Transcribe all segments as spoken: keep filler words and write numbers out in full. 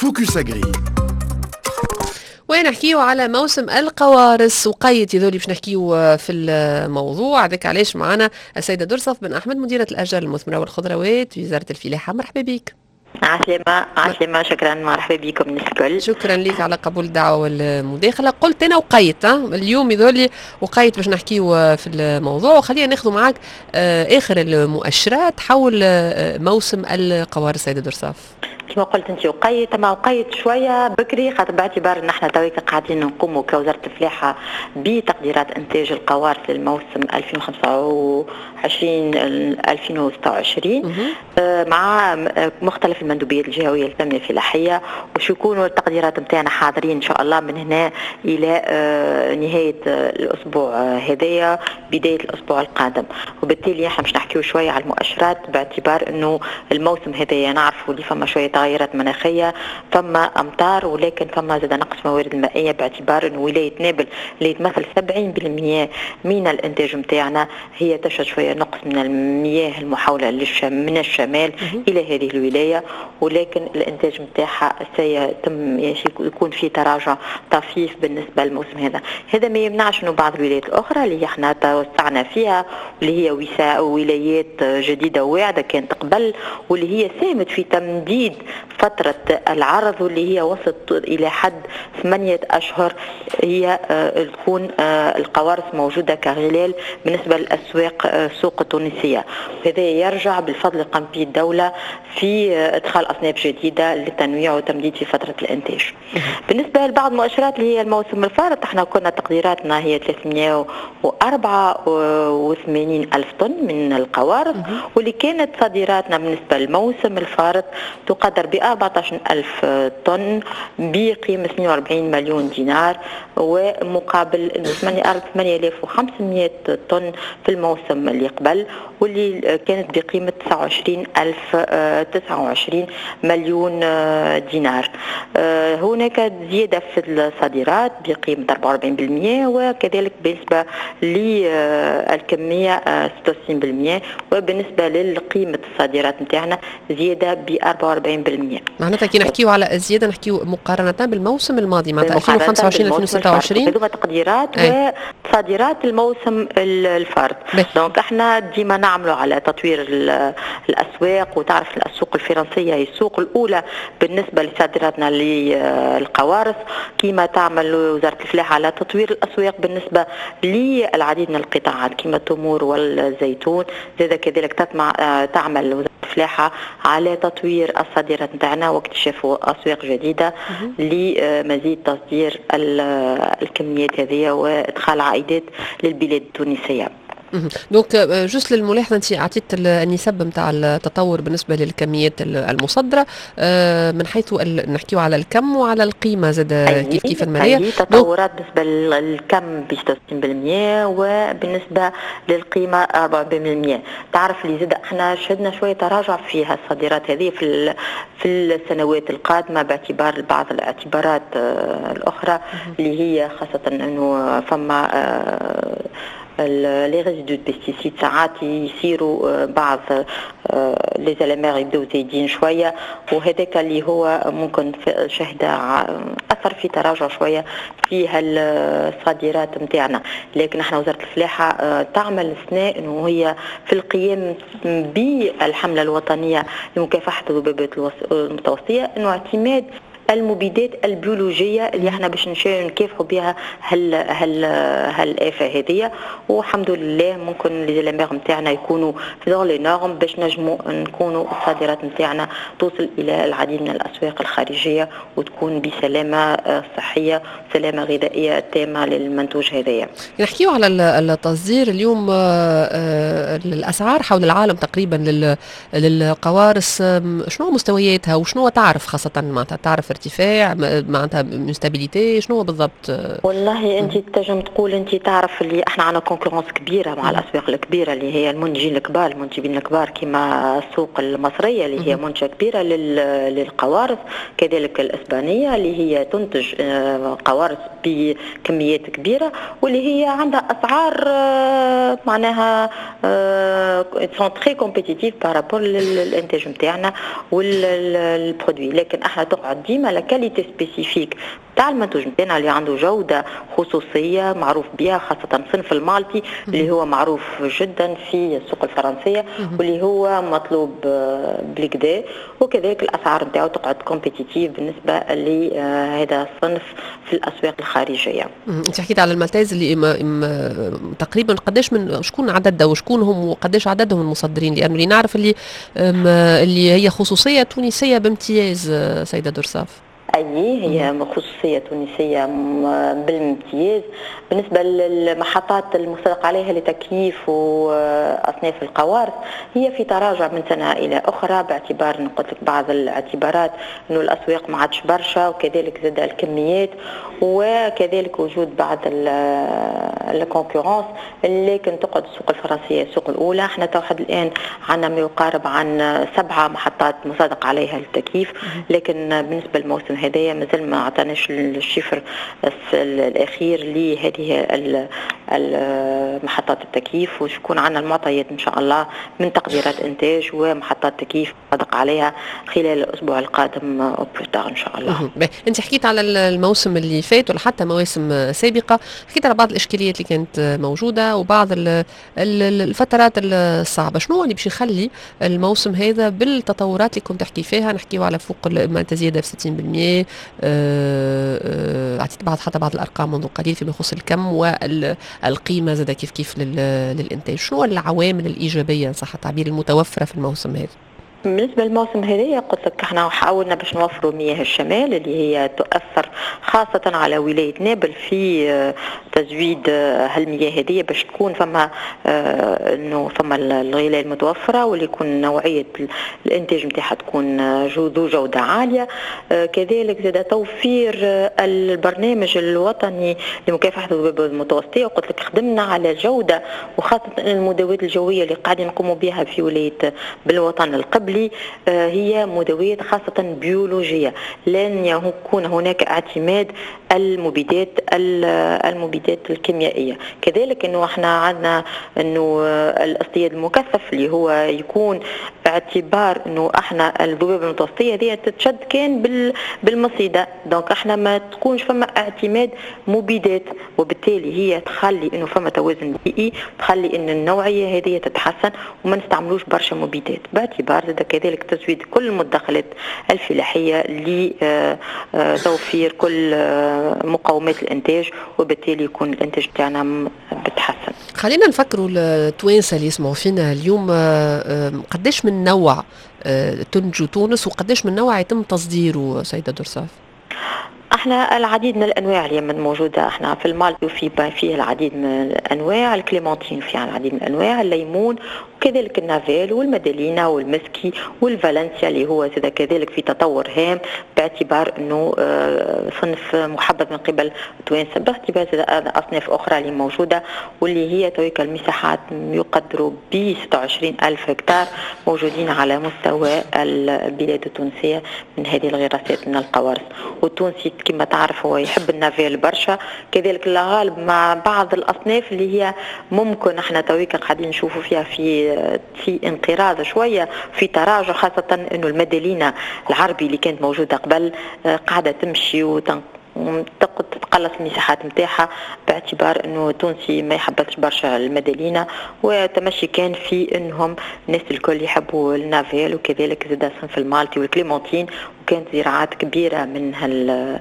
Focus Agri. ونحكيو على موسم القوارص، وقيت يذولي باش نحكيو في الموضوع هذاك علاش معنا السيدة درصف بن أحمد، مديرة الأشجار المثمرة والخضروات في وزارة الفلاحة. مرحبا بك. عسلامة عسلامة، شكرا، مرحبا بكم الناس الكل. شكرا لك على قبول الدعوة والمداخلة. قلت أنا وقيت اليوم يذولي وقيت باش نحكيو في الموضوع، وخلينا ناخذ معاك آه، آخر المؤشرات حول آه، موسم القوارص سيدة درصاف. كما قلت انت وقيت، ما وقيت شوية بكري، خاطر باعتبار ان احنا تويك قاعدين نقوموا كوزارة الفلاحة بتقديرات انتاج القوارص للموسم ألفين وخمسة وعشرين ألفين وستة وعشرين آه، مع مختلف المندوبيات الجهوية للتنمية الفلاحيه، وش يكونوا التقديرات نتاعنا حاضرين ان شاء الله من هنا الى آه، نهاية الاسبوع هذايا، بداية الاسبوع القادم. وبالتالي احنا باش نحكيو شوية على المؤشرات، باعتبار انه الموسم هذايا نعرفوا اللي فما شوية تغيرات مناخيه، فما امطار، ولكن فما زاد نقص موارد المائيه، باعتبار انه ولاية نابل اللي تمثل سبعين بالمية من الانتاج نتاعنا هي تشهد شوية نقص من المياه المحوله من الشمال الى هذه الولايه، ولكن الانتاج نتاعها سيتم يكون في تراجع طفيف بالنسبة للموسم هذا. هذا ما يمنعش انه بعض الولايات الاخرى اللي احنا توسعنا فيها، واللي هي ولايات جديدة واعده كانت قبل، واللي هي ساهمت في تمديد فترة العرض، واللي هي وصلت إلى حد ثمانية أشهر، هي آه، تكون آه، القوارص موجودة كغلال بالنسبة للأسواق آه، السوق التونسية. وهذا يرجع بالفضل قام به الدولة في إدخال أصناف جديدة للتنويع وتمديد في فترة الإنتاج. بالنسبة لبعض المؤشرات اللي هي الموسم الفارط، احنا كنا تقديراتنا هي ثلاثمية وأربعة وثمانين ألف طن من القوارص، واللي كانت صادراتنا بالنسبة للموسم الفارط تقدر ب أربعة عشر ألف طن بقيمة اثنين وأربعين مليون دينار، ومقابل ثمانية آلاف وخمسمية طن في الموسم اللي قبل، واللي كانت بقيمة تسعة وعشرين ألف تسعة وعشرين مليون دينار. هناك زيادة في الصادرات بقيمة أربعة وأربعين بالمية، وكذلك بالنسبة للكمية ستة وستين بالمية، وبالنسبة لقيمة الصادرات نتاعنا زيادة ب أربعة وأربعين بالمية. معناتها كي نحكيو على الزيادة نحكيو مقارنة بالموسم الماضي، معناتها ألفين وخمسة وعشرين ألفين وستة وعشرين. هذوما تقديرات وصادرات الموسم الفارط. donc احنا ديما نعملوا على تطوير الاسواق، وتعرف السوق الفرنسية هي السوق الاولى بالنسبة لصادراتنا للقوارص، كما تعمل وزارة الفلاحة على تطوير الاسواق بالنسبة للعديد من القطاعات كما التمور والزيتون. زاد كذلك تطمع تعمل وزارة الفلاحة على تطوير الصادرات نتاعنا واكتشاف اسواق جديدة لمزيد تصدير الكميات هذه وادخال عائدات للبلاد التونسيه. donc juste للملاحظه، انت اعطيت النسب نتاع التطور بالنسبة للكميات المصدره آه، من حيث نحكيو على الكم وعلى القيمة زاد كيف كيف الماليه. تطورات بالنسبة للكم ب ستة وستين بالمية وبالنسبة للقيمة أربعة بالمية. تعرف اللي زاد احنا شهدنا شوية تراجع فيها الصادرات هذه في في السنوات القادمه، باعتبار بعض الاعتبارات آه، الاخرى اللي هي خاصة انه فما آه، les résidus de pesticides، ساعات يصيروا آه، بعض les L M R يبداو زايدين شويه، وهذاك اللي هو ممكن شهد اثر في تراجع شوية في الصادرات نتاعنا. لكن احنا وزارة الفلاحة آه، تعمل السنة انه هي في القيام بالحمله الوطنية لمكافحة الذبابات المتوسطيه، انه اعتماد المبيدات البيولوجية اللي احنا باش نكافحوا بها هال هال هالافه هذه. والحمد لله ممكن les L M R نتاعنا يكونوا في dans les normes باش نجموا نكونوا الصادرات نتاعنا توصل الى العديد من الاسواق الخارجية وتكون بسلامه صحيه، سلامه غذائية تامة للمنتوج هذايا. نحكيو على التصدير اليوم، آه، آه، الاسعار حول العالم تقريبا للقوارص شنو مستوياتها وشنو تعرف، خاصة معناتها تعرف ارتفاع، معناتها stabilité، شنو بالضبط؟ والله انت تنجم تقول، انت تعرف اللي احنا عندنا concurrence كبيرة مع الاسواق الكبيرة اللي هي المنتجين الكبار، المنتجين الكبار كما السوق المصرية اللي هي منتجه كبيرة للقوارص، كذلك الاسبانية اللي هي تنتج آه، قوارص بكميات كبيرة واللي هي عندها اسعار آه، معناها sont très compétitives par rapport للانتاج نتاعنا وال produit. لكن احنا تقعد ديما ديما la qualité spécifique تاع المنتوج نتاعنا اللي عنده جوده خصوصية معروف بها، خاصة صنف المالتي اللي هو معروف جدا في السوق الفرنسية واللي هو مطلوب آه، بالقدا، وكذلك الاسعار نتاعو تقعد compétitive بالنسبة لهذا الصنف في الاسواق الخارجيه. انت حكيت على المالتيز اللي إم تقريبا قداش من شكون عددها وشكون هم وقداش عددهم المصدرين؟ لانه اللي نعرف اللي اللي هي خصوصية تونسية بامتياز آه، سيده درصاف. أي، هي خصوصية تونسية بالامتياز. بالنسبة للمحطات المصدق عليها لتكييف وأصناف القوارص، هي في تراجع من سنة إلى أخرى، باعتبار نقول لك بعض الاعتبارات أنه الأسواق ما عادش برشا، وكذلك زاد الكميات، وكذلك وجود بعض ال concurrence، لكن تقعد السوق الفرنسية السوق الأولى. احنا تو حد الآن عندنا ما يقارب عن سبعة محطات مصادق عليها للتكييف، لكن بالنسبة للموسم هذايا مازال ما عطاناش ال chiffre الاخير لهذه محطات التكييف، وشكون عندنا المعطيات ان شاء الله من تقديرات انتاج ومحطات تكييف صدق عليها خلال الاسبوع القادم au plus tard ان شاء الله. انت حكيت على الموسم اللي فات ولا حتى مواسم سابقه، حكيت على بعض الاشكاليات اللي كانت موجودة وبعض الفترات الصعبه. شنو اللي باش يخلي الموسم هذا بالتطورات اللي كنت تحكي فيها، نحكيو على فوق معناتها زيادة في ستين بالمية، آه، آه، اعطيت بعض حتى بعض الارقام منذ قليل فيما يخص الكم والقيمة زاد كيف كيف للانتاج، شنو العوامل الايجابية ان صح التعبير المتوفرة في الموسم هذا؟ بالنسبة للموسم هذايا، قلت لك احنا حاولنا باش نوفروا مياه الشمال اللي هي تؤثر خاصة على ولاية نابل في آه، تزويد آه، هالمياه هذه باش تكون فما آه، انه فما الغلال المتوفرة واللي يكون نوعية الانتاج نتاعها تكون ذو جودة عالية. كذلك زاد توفير البرنامج الوطني لمكافحة الذبابة المتوسطية، وقلت لك خدمنا على الجودة، وخاصة المداوات الجوية اللي قاعدين نقوموا بها في ولاية بالوطن القبلي آه، هي مداويات خاصة بيولوجية، لن يكون هناك اعتماد المبيدات المبيدات الكيميائية. كذلك انه احنا عندنا انه الاصطياد المكثف اللي هو يكون باعتبار انه احنا الذبابة المتوسطيه هذه تتشد كان بالمصيده، donc احنا ما تكونش فما اعتماد مبيدات، وبالتالي هي تخلي انه فما توازن بيئي، تخلي ان النوعية هذه تتحسن وما نستعملوش برشا مبيدات، باعتبار كذلك تزويد كل المدخلات الفلاحية لتوفير كل آه، مقومات الانتاج، وبالتالي يكون الانتاج تاعنا بتحسن. خلينا نفكروا التوانسة اللي يسمعوا فينا اليوم، آه، آه، قداش من نوع تنتج تونس وقداش من نوع يتم تصديره سيده درصاف؟ احنا العديد من الانواع اللي موجوده، احنا في المالتي وفي فيه العديد من الانواع، الكليمونتين فيها العديد من الانواع، الليمون، وكذلك النافيل والمدلينا والمسكي والفالنسيا اللي هو زاد كذلك في تطور هام باعتبار انه آه، صنف محبذ من قبل التوانسه، باعتبار زاد اصناف اخرى اللي موجودة واللي هي تويك المساحات يقدروا ب ستة وعشرين الف هكتار موجودين على مستوى البلاد التونسية من هذه الغراسات من القوارص. والتونسي كما تعرف هو يحب النافيل برشا، كذلك الغالب مع بعض الاصناف اللي هي ممكن احنا تويك قاعدين نشوفوا فيها في في انقراض شويه، في تراجع، خاصة انه المدلينه العربي اللي كانت موجودة قبل آه، قاعدة تمشي وتنق تتقلص المساحات نتاعها، باعتبار انه التونسي ما يحبش برشا المدلينه، وتمشي كان في انهم الناس الكل يحبوا النافيل، وكذلك زاد صنف المالتي والكليمونتين، وكانت زراعات كبيرة من هال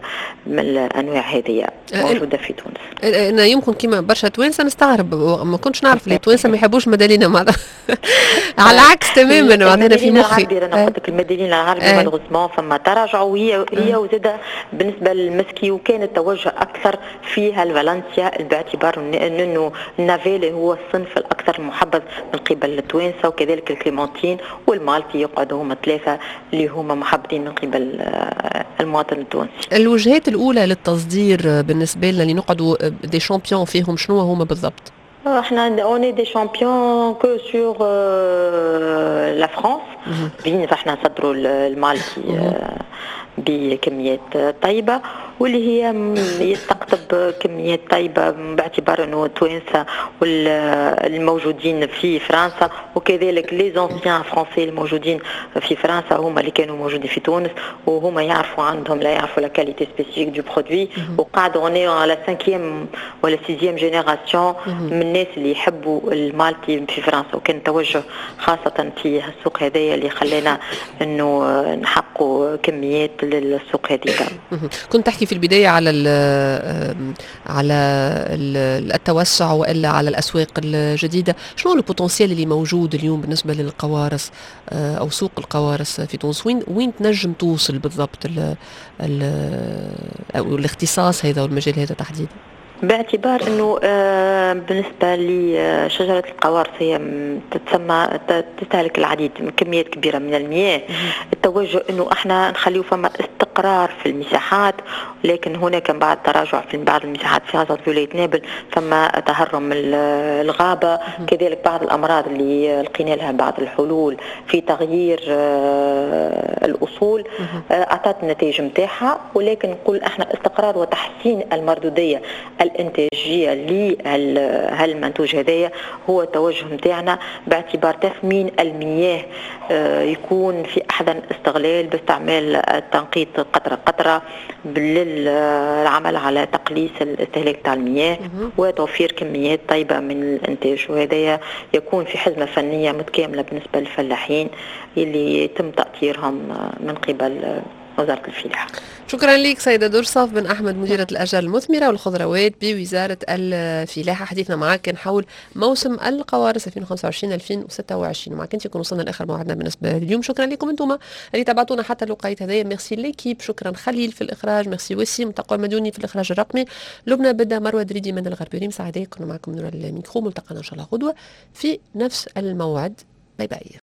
من الانواع هذه موجودة في تونس. انا يمكن كيما برشا توانسة نستغرب، ما كنتش نعرف اللي التوانسة ما يحبوش مدلينا، معناتها على العكس تماما معناتها في مخي. العربي، انا قلت لك المدلينه العربي malheureusement فما تراجع، وهي هي وزاد بالنسبة للمسكي، وكان التوجه اكثر فيها الفالنسيا، باعتبار انه النافيل هو الصنف الاكثر محبذ من قبل التوانسه، وكذلك الكليمونتين والمالتي يقعدوا هما ثلاثة اللي هما محبذين من قبل المواطن التونسي. الوجهات الاولى للتصدير بالنسبة لنا اللي نقعدوا des champions فيهم، شنو هما بالضبط؟ احنا on est des champions que sur la France، بين احنا نصدروا المالتي بكميات طيبة واللي هي يستقطب تستقطب كميات طيبة، باعتبار انه التوانسة والموجودين في فرنسا وكذلك les anciens français الموجودين في فرنسا هما اللي كانوا موجودين في تونس، وهما يعرفوا، عندهم لا يعرفوا la qualité spécifique du produit، وقعدوا on est à la cinquième ولا sixième génération من الناس اللي يحبوا المالتي في فرنسا. وكان توجه خاصة في السوق هذايا اللي خلانا انه نحققوا كميات للسوق هذيك. كنت تحكي في البداية على ال على التوسع والا على الاسواق الجديده. شنو هو ال potentiel اللي موجود اليوم بالنسبة للقوارص آه، او سوق القوارص في تونس؟ وين وين تنجم توصل بالضبط ال ال او الاختصاص هذا والمجال هذا تحديدا؟ باعتبار انه آه، بالنسبة لشجرة القوارص هي تتسمى تستهلك العديد من كميات كبيرة من المياه. التوجه انه احنا نخليه فما استقرار في المساحات، لكن هناك بعد تراجع في بعض المساحات، في خاصة في ولاية نابل فما تهرم الغابه. كذلك بعض الامراض اللي لقينا لها بعض الحلول في تغيير آه، الاصول آه، اعطت النتائج نتاعها، ولكن نقول احنا استقرار وتحسين المردوديه الانتاجية لهالمنتوج هذايا هو التوجه نتاعنا، باعتبار تثمين المياه آه، يكون في احسن استغلال باستعمال التنقيط قطرة قطرة للعمل على تقليص الاستهلاك تاع المياه وتوفير كميات طيبة من الانتاج، وهذا يكون في حزمه فنية متكاملة بالنسبة للفلاحين اللي يتم تاطيرهم من قبل وزارة الفلاحة. شكرا لك سيدة درصاف بن أحمد، مديرة الأشجار المثمرة والخضروات بوزارة الفلاحة. حديثنا معك كان حول موسم القوارص ألفين وخمسة وعشرين ألفين وستة وعشرين. ومعك انت يكون وصلنا لاخر موعدنا بالنسبة لليوم. شكرا لكم انتم اللي تابعتونا حتى الوقيت هذايا. merci l'équipe، شكرا خليل في الاخراج، ميرسي وسيم تقوى المديوني في الاخراج الرقمي، لبنى بدا، مروه دريدي من الغربي، ريم سعدي. كنا معكم من الميكرو. ملتقانا ان شاء الله غدوه في نفس الموعد. bye bye.